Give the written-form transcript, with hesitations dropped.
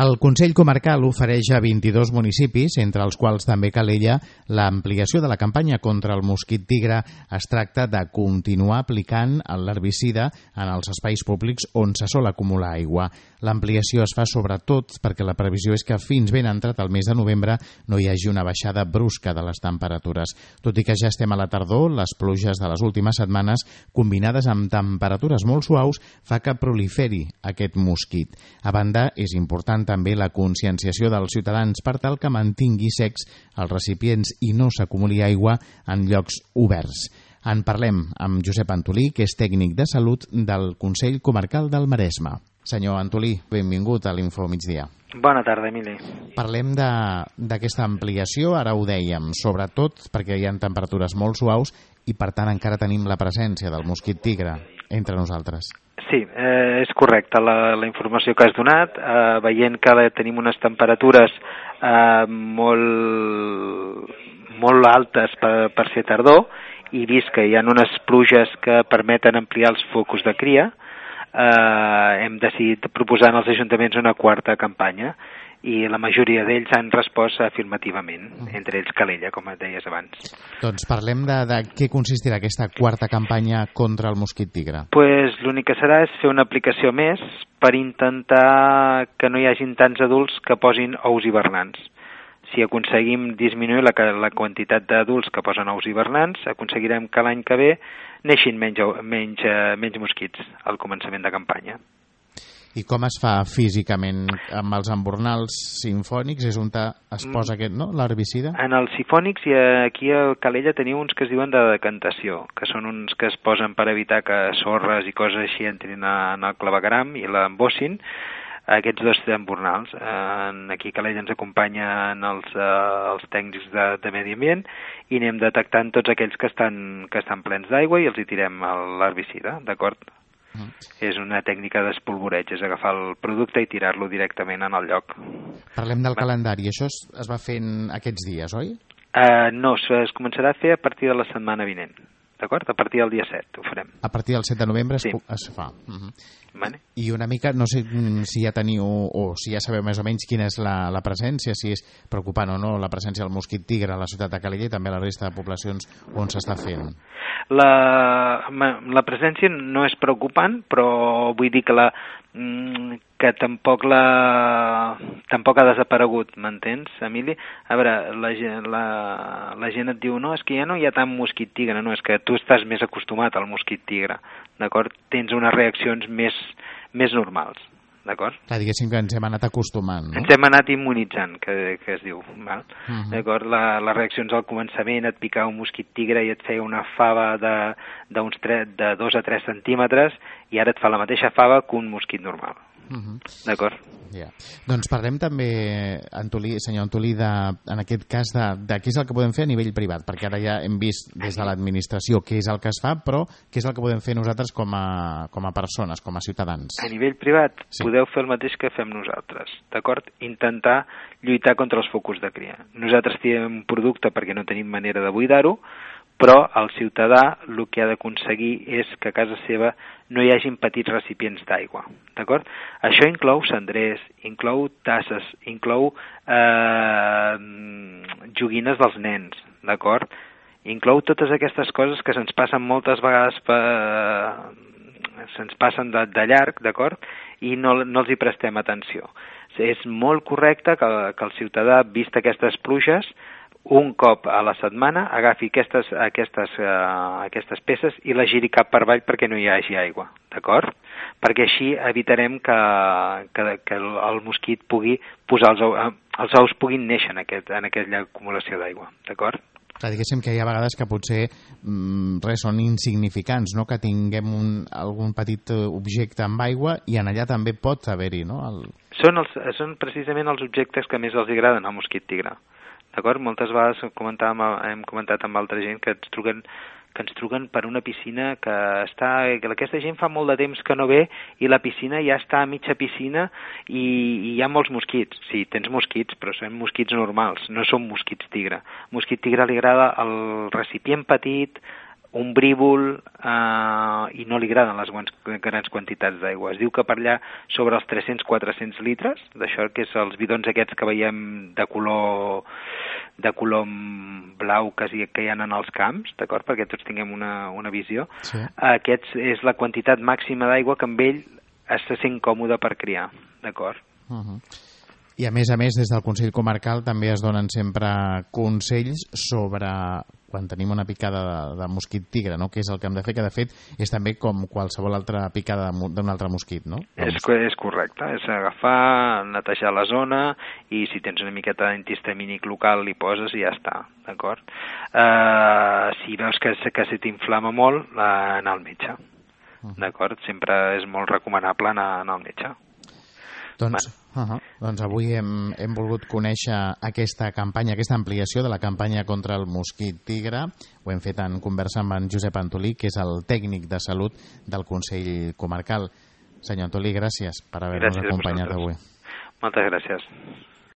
El Consell Comarcal ofereix a 22 municipis, entre els quals també Calella, l'ampliació de la campanya contra el mosquit tigre. Es tracta de continuar aplicant l'herbicida en els espais públics on se sol acumular aigua. L'ampliació es fa sobretot perquè la previsió és que fins ben entrat el mes de novembre no hi hagi una baixada brusca de les temperatures. Tot i que ja estem a la tardor, les pluges de les últimes setmanes, combinades amb temperatures molt suaus, fa que proliferi aquest mosquit. A banda, és important també la conscienciació dels ciutadans per tal que mantingui secs els recipients i no s'acumuli aigua en llocs oberts. En parlem amb Josep Antolí, que és tècnic de salut del Consell Comarcal del Maresme. Senyor Antolí, benvingut a l'Info Migdia. Bona tarda, Emili. Parlem d'aquesta ampliació, ara ho dèiem, sobretot perquè hi ha temperatures molt suaus i per tant encara tenim la presència del mosquit tigre entre nosaltres. Sí, és correcte la informació que has donat, veient que tenim unes temperatures molt altes per ser tardor i vist que hi ha unes pluges que permeten ampliar els focus de cria, hem decidit proposar als ajuntaments una quarta campanya i la majoria d'ells han respost afirmativament, entre ells Calella, com et deies abans. Doncs parlem de què consistirà aquesta quarta campanya contra el mosquit tigre. Pues l'únic que serà és fer una aplicació més per intentar que no hi hagin tants adults que posin ous hivernants. Si aconseguim disminuir la quantitat d'adults que posen ous hivernants, aconseguirem que l'any que ve neixin menys mosquits al començament de campanya. I com es fa físicament amb els embornals simfònics? És on es posa l'herbicida? En els sifònics, i aquí a Calella teniu uns que es diuen de decantació, que són uns que es posen per evitar que sorres i coses així entrin en el clavegueram i l'embossin. Aquests dos embornals. Aquí a Calella ens acompanyen els tècnics de medi ambient i anem detectant tots aquells que estan plens d'aigua i els hi tirem l'herbicida, d'acord? És una tècnica d'espolvoreig, és agafar el producte i tirar-lo directament en el lloc. Parlem del calendari. Això es va fent aquests dies, oi? No, es començarà a fer a partir de la setmana vinent. D'acord? A partir del dia 7 ho farem. A partir del 7 de novembre sí. Es fa. Vale. I una mica, no sé si ja teniu o si ja sabeu més o menys quina és la presència, si és preocupant o no la presència del mosquit tigre a la ciutat de Calella i també a la resta de poblacions on s'està fent. La presència no és preocupant, però vull dir que tampoc ha desaparegut, m'entens, Emili? A veure, la gent et diu, no, és que ja no hi ha tant mosquit tigre, no, és que tu estàs més acostumat al mosquit tigre, d'acord? Tens unes reaccions més normals, d'acord? Clar, diguéssim que ens hem anat acostumant, no? Ens hem anat immunitzant, que es diu, val? D'acord? Les reaccions al començament, et picava un mosquit tigre i et feia una fava de 2 a 3 centímetres i ara et fa la mateixa fava que un mosquit normal. D'acord? Yeah. Doncs parlem també, senyor Antolí, en aquest cas de què és el que podem fer a nivell privat, perquè ara ja hem vist des de l'administració què és el que es fa, però què és el que podem fer nosaltres com a persones, com a ciutadans? A nivell privat sí. Podeu fer el mateix que fem nosaltres, d'acord? Intentar lluitar contra els focus de cria. Nosaltres tirem un producte perquè no tenim manera de buidar-ho, però el ciutadà el que ha d'aconseguir és que a casa seva no hi hagin petits recipients d'aigua, d'acord? Això inclou cendrers, inclou tasses, inclou joguines dels nens, d'acord? Inclou totes aquestes coses que se'ns passen moltes vegades se'ns passen de llarg, d'acord? I no els hi prestem atenció. És molt correcte que el ciutadà, vist aquestes pluges, un cop a la setmana agafi aquestes peces i les giri cap per avall perquè no hi hagi aigua, d'acord? Perquè així evitarem que el mosquit pugui posar els ous puguin néixer en aquella acumulació d'aigua, d'acord? Clar, diguéssim que hi ha vegades que potser són insignificants, no? Que tinguem algun petit objecte amb aigua i en allà també pot haver-hi, no? Són precisament els objectes que més els agraden al mosquit tigre. D'acord? Moltes vegades hem comentat amb altra gent que ens truquen per una piscina que aquesta gent fa molt de temps que no ve i la piscina ja està a mitja piscina i hi ha molts mosquits. Sí, tens mosquits, però són mosquits normals, no són mosquits tigre. Mosquit tigre li agrada el recipient petit, ombrívol i no li agraden les grans quantitats d'aigua. Es diu que per allà sobre els 300-400 litres, d'això que és els bidons aquests que veiem de color blau que hi ha en els camps, d'acord? Perquè tots tinguem una visió. Sí. Aquests és la quantitat màxima d'aigua que amb ell se sent còmode per criar, d'acord? I a més, des del Consell Comarcal també es donen sempre consells sobre quan tenim una picada de mosquit tigre, no? Què és el que hem de fer, que de fet és també com qualsevol altra picada d'un altre mosquit, no? És correcte, és agafar, netejar la zona i si tens una miqueta d'antihistamínic local li poses i ja està, d'acord? Si veus que se t'inflama molt, anar al metge, d'acord? Sempre és molt recomanable anar al metge. Doncs avui hem volgut conèixer aquesta campanya, aquesta ampliació de la campanya contra el mosquit tigre. Ho hem fet en conversa amb en Josep Antolí, que és el tècnic de salut del Consell Comarcal. Senyor Antolí, gràcies per haver-nos acompanyat avui. Moltes gràcies.